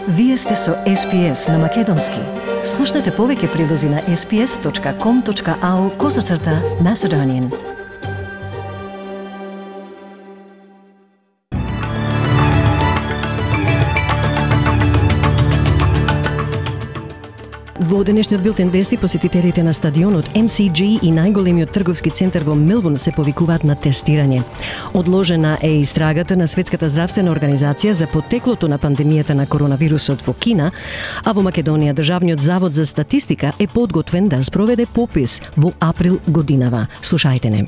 Вие сте со SPS на Македонски. Слушнете повеќе прилози на sps.com.au/Macedonian. Во денешниот билтен вести, посетителите на стадионот MCG и најголемиот трговски центар во Мелбурн се повикуваат на тестирање. Одложена е истрагата на Светската здравствена организација за потеклото на пандемијата на коронавирусот во Кина, а во Македонија Државниот завод за статистика е подготвен да спроведе попис во април годинава. Слушајте не.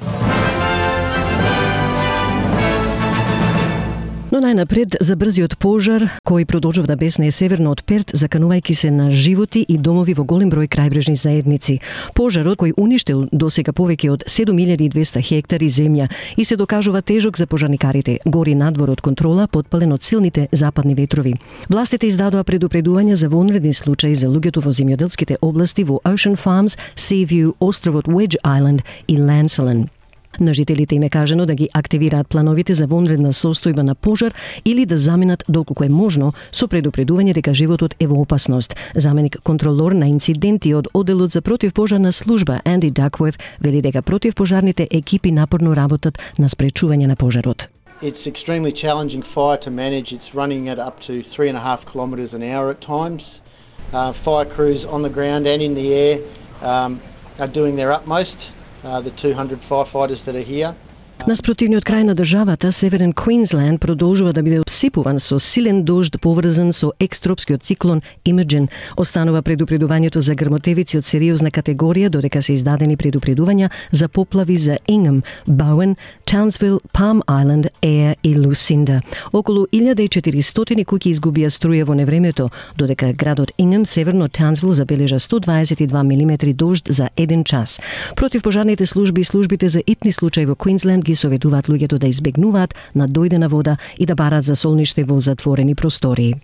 Но најнапред за брзиот пожар кој продолжува да беснее северно од Перт, заканувајќи се на животи и домови во голем број крајбрежни заедници. Пожарот кој уништил досега повеќе од 7200 хектари земја и се докажува тежок за пожарникарите, гори надвор од контрола, потпален од силните западни ветрови. Властите издадоа предупредување за вонредни случаи за луѓето во земјоделските области во Ocean Farms, Seaview, островот Wedge Island и Lancelin. На жителите им е кажано да ги активираат плановите за вонредна состојба на пожар или да заминат доколку е можно со предупредување дека животот е во опасност. Заменик контролор на инциденти од одделот за противпожарна служба Анди Дакворт вели дека противпожарните екипи напорно работат на спречување на пожарот. It's extremely challenging fire to manage. It's running at up to 3.5 kilometres an hour at times. Fire crews on the ground and in the air are doing their utmost. The 200 firefighters that are here. На спротивниот крај на државата, Северен Квинсленд продолжува да биде обсипуван со силен дожд поврзан со екстропскиот циклон Имаджин. Останува предупредувањето за грмотевици од сериозна категорија, додека се издадени предупредувања за поплави за Ингем, Боуен, Таунсвил, Palm Island, Eyre и Lucinda. Околу 1400 куќи изгубија струја во невремето, додека градот Ингем, северно од Таунсвил, забележа 122 милиметри дожд за 1 час. Противпожарните служби и службите за итни случаи во Квинсленд ги советуваат луѓето да избегнуваат на дојдена вода и да бараат за солниште во затворени простории.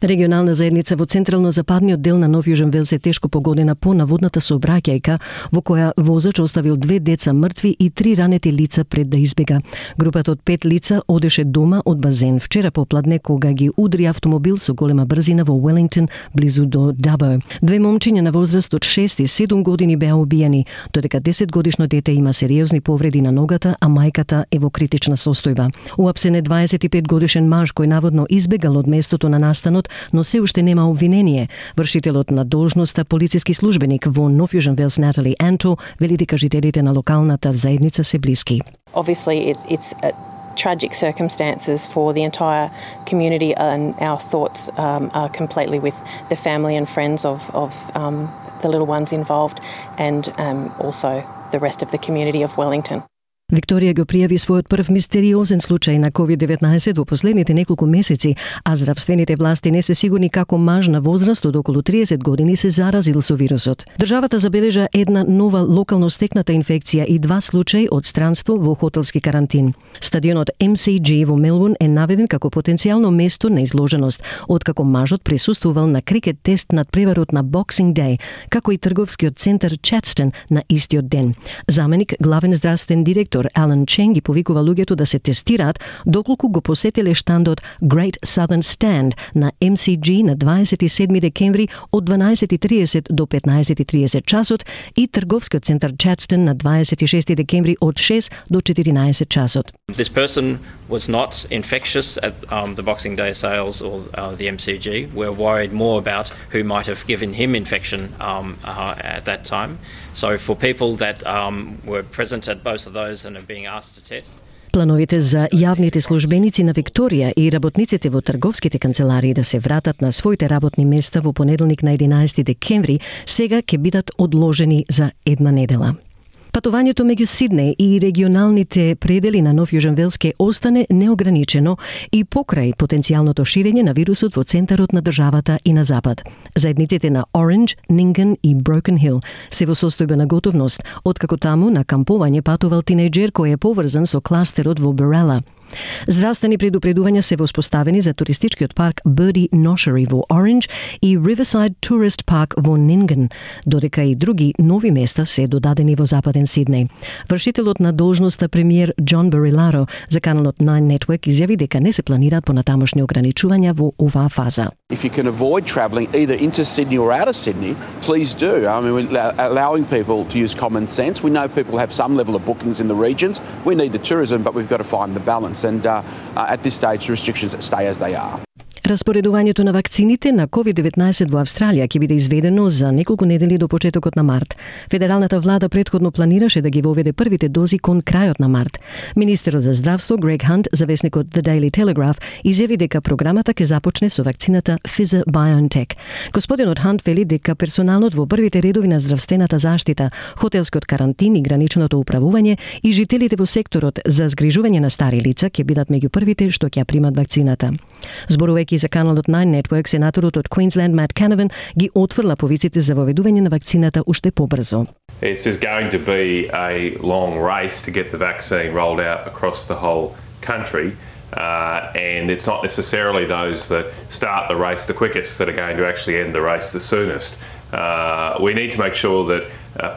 Регионална заедница во централно-западниот дел на Нов Јужен Велс е тешко погодена по наводната сообраќајка во која возач оставил 2 деца мртви и 3 ранети лица пред да избега. Групата од 5 лица одеше дома од базен вчера попладне кога ги удри автомобил со голема брзина во Уелингтон близу до Дабо. 2 момчиња на возраст од 6 и 7 години беа убиени, додека 10-годишно дете има сериозни повреди на ногата, а мајката е во критична состојба. Уапсен е 25-годишен маж кој наводно избегал од местото на настанот, но се уште нема обвинение. Вршителот на должноста полициски службеник во Нов Јужен Велс Натали Анто вели дека жителите на локалната заедница се блиски. Obviously it's tragic circumstances for the entire community, and our thoughts are completely with the family and friends of the little ones involved, and also the rest of the community of Wellington. Викторија го пријави својот прв мистериозен случај на COVID-19 во последните неколку месеци, а здравствените власти не се сигурни како маж на возраст од околу 30 години се заразил со вирусот. Државата забележа една нова локално стекната инфекција и 2 случаи од странство во хотелски карантин. Стадионот MCG во Мелбурн е наведен како потенцијално место на изложеност, откако мажот присуствувал на крикет тест над преварот на Boxing Day, како и трговскиот центар Чатстон на истиот ден. Заменик главен здравствен директор Алан Чен ги повикува луѓето да се тестираат доколку го посетиле штандот Great Southern Stand на MCG на 27 декември од 12:30 до 15:30 часот и трговскиот центар Чатстон на 26 декември од 6 до 14 часот. This person was not infectious at the Boxing Day sales or the MCG. We're worried more about who might have given him infection at that time. So for people that were present at both of those and are being asked to test. Плановите за јавните службеници на Викторија и работниците во трговските канцеларии да се вратат на своите работни места во понеделник на 11 декември сега ќе бидат одложени за една недела. Патувањето меѓу Сиднеј и регионалните предели на Нов Јужен Велс ке остане неограничено и покрај потенцијалното ширење на вирусот во центарот на државата и на запад. Заедниците на Оранџ, Нинган и Брокен Хил се во состојба на готовност, откако таму на кампување патувал тинејџер кој е поврзан со кластерот во Берела. Здравствени предупредувања се воспоставени за туристичкиот парк Birdie Notchery во Orange и Riverside Tourist Park во Nyngan, додека и други нови места се додадени во Западен Сиднеј. Вршителот на должноста премиер John Barilaro за каналот Nine Network изјави дека не се планираат понатамошни ограничувања во оваа фаза. If you can avoid travelling either into Sydney or out of Sydney, please do. I mean, we're allowing people to use common sense. We know people have some level of bookings in the regions. We need the tourism, but we've got to find the balance. And at this stage, the restrictions stay as they are. Распоредувањето на вакцините на COVID-19 во Австралија ќе биде изведено за неколку недели до почетокот на март. Федералната влада претходно планираше да ги воведе првите дози кон крајот на март. Министерот за здравство Грег Хант за весникот The Daily Telegraph изјави дека програмата ќе започне со вакцината Pfizer-BioNTech. Господинот Хант вели дека персоналот во првите редови на здравствената заштита, хотелскиот карантин и граничното управување и жителите во секторот за згрижување на стари лица ќе бидат меѓу првите што ќе ја примат вакцината. Зборувајќи за каналот Nine Network, сенаторот од Queensland Matt Canavan ги отфрла повиците за воведување на вакцината уште побрзо. This is going to be a long race to get the vaccine rolled out across the whole country, and it's not necessarily those that start the race the quickest that are going to actually end the race the soonest. We need to make sure that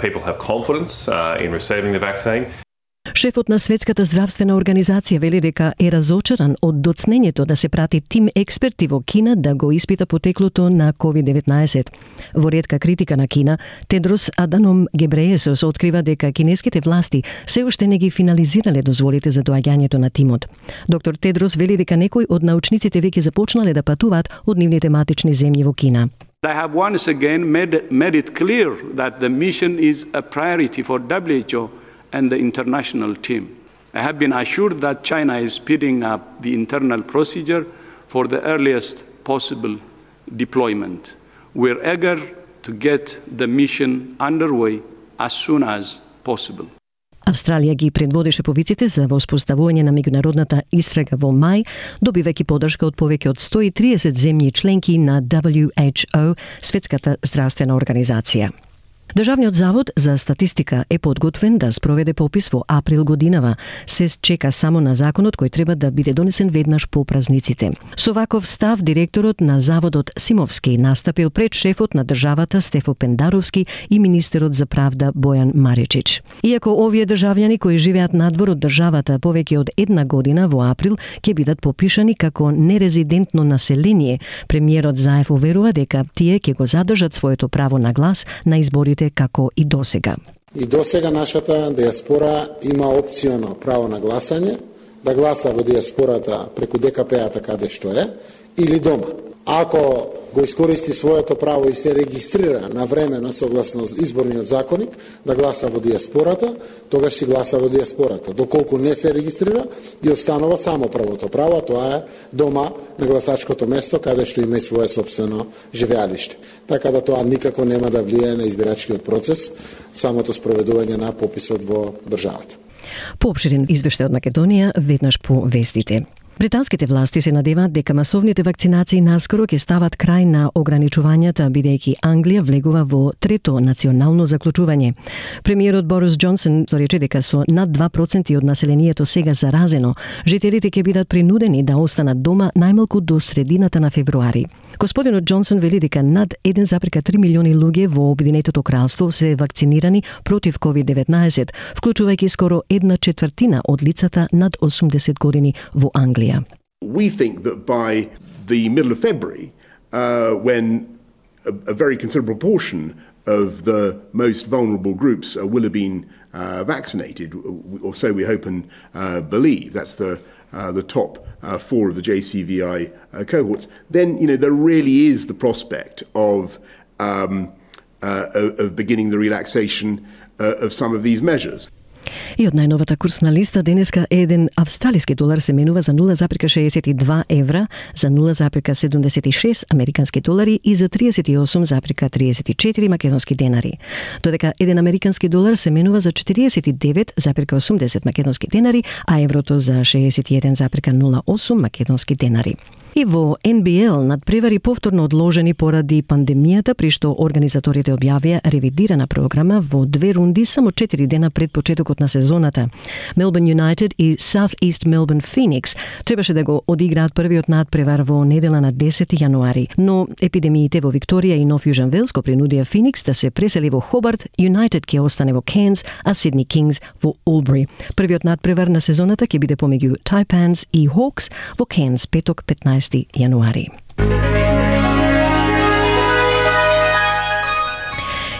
people have confidence in receiving the vaccine. Шефот на Светската здравствена организација вели дека е разочаран од доцнењето да се прати тим експерти во Кина да го испита потеклото на COVID-19. Во ретка критика на Кина, Тедрос Аданом Гебреесус открива дека кинеските власти се уште не ги финализирале дозволите за доаѓањето на тимот. Доктор Тедрос вели дека некои од научниците веќе започнале да патуваат од нивните матични земји во Кина. They have once again made it clear that the mission is a priority for WHO and the international team. I have been assured that China is speeding up the internal procedure for the earliest possible deployment. We're eager to get the mission underway as soon as possible. Австралија ги предводеше повиците за воспоставување на меѓународната истрага во мај, добивајќи поддршка од повеќе од 130 земји членки на WHO, Светската здравствена организација. Државниот завод за статистика е подготвен да спроведе попис во април годинава. Се чека само на законот кој треба да биде донесен веднаш по празниците. Со ваков став, директорот на заводот Симовски настапил пред шефот на државата Стефо Пендаровски и министерот за правда Бојан Маричич. Иако овие државјани кои живеат надвор од државата повеќе од една година во април ќе бидат попишани како нерезидентно население, премиерот Заев уверува дека тие ќе го задржат своето право на глас на изборите како и досега. И досега нашата диаспора има опционално право на гласање, да гласа во диаспората преку ДКП-ата каде што е, или дома. Ако го искористи своето право и се регистрира на времено согласно изборниот законник да гласа во диаспората, тогаш си гласа во диаспората. Доколку не се регистрира, и останува само правото право, тоа е дома на гласачкото место каде што има и свое собствено живеалиште. Така да тоа никако нема да влијае на избирачкиот процес, самото спроведување на пописот во државата. Поопширен извештај од Македонија веднаш по вестите. Британските власти се надеваат дека масовните вакцинации наскоро ќе стават крај на ограничувањата, бидејќи Англија влегува во трето национално заклучување. Премиерот Борис Џонсон рече дека со над 2% од населението сега заразено, жителите ќе бидат принудени да останат дома најмалку до средината на февруари. Господинот Џонсон вели дека над 1,3 милиони луѓе во Обединетото кралство се вакцинирани против COVID-19, вклучувајќи скоро 1/4 од лицата над 80 години во Англија. We think that by the middle of February, when a very considerable portion of the most vulnerable groups will have been vaccinated, or so we hope and believe. That's the top 4 of the JCVI cohorts. Then there really is the prospect of beginning the relaxation of some of these measures. И од најновата курсна листа денеска еден австралиски долар се менува за 0,62 евра, за 0,76 американски долари и за 38,34 македонски денари. Додека еден американски долар се менува за 49,80 македонски денари, а еврото за 61,08 македонски денари. И во НБЛ надпревари повторно одложени поради пандемијата, при што организаторите објавија ревидирана програма во 2 рунди само 4 дена пред почетокот на сезоната. Melbourne United и South East Melbourne Phoenix требаше да го одиграат првиот надпревар во недела на 10 јануари, но епидемиите во Викторија и Нов Јужен Велс го принудија Феникс да се пресели во Хобарт, United ќе остане во Cairns, а Сидни Кингс во Албри. Првиот надпревар на сезоната ќе биде помеѓу Taipans и Hawks во Cairns петок 15 јануари.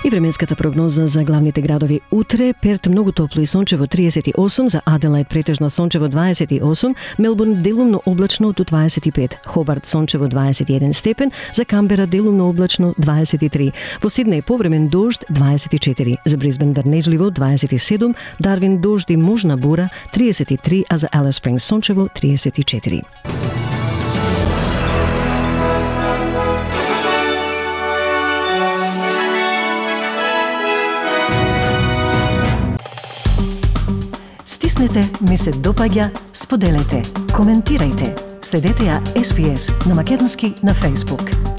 И временската прогноза за главните градови утре: Перт многу топло и сончево 38, за Аделаид претежно сончево 28, Мелбурн делумно облачно до 25, Хобарт сончево 21 степен, за Камбера делумно облачно 23, во Сиднеј повремен дожд 24, за Брисбен врнежливо 27, Дарвин дожд и можна бура 33, а за Алис Спрингс сончево 34. Стиснете, ми се допаѓа, споделете, коментирајте. Следете ја SPS на македонски на Facebook.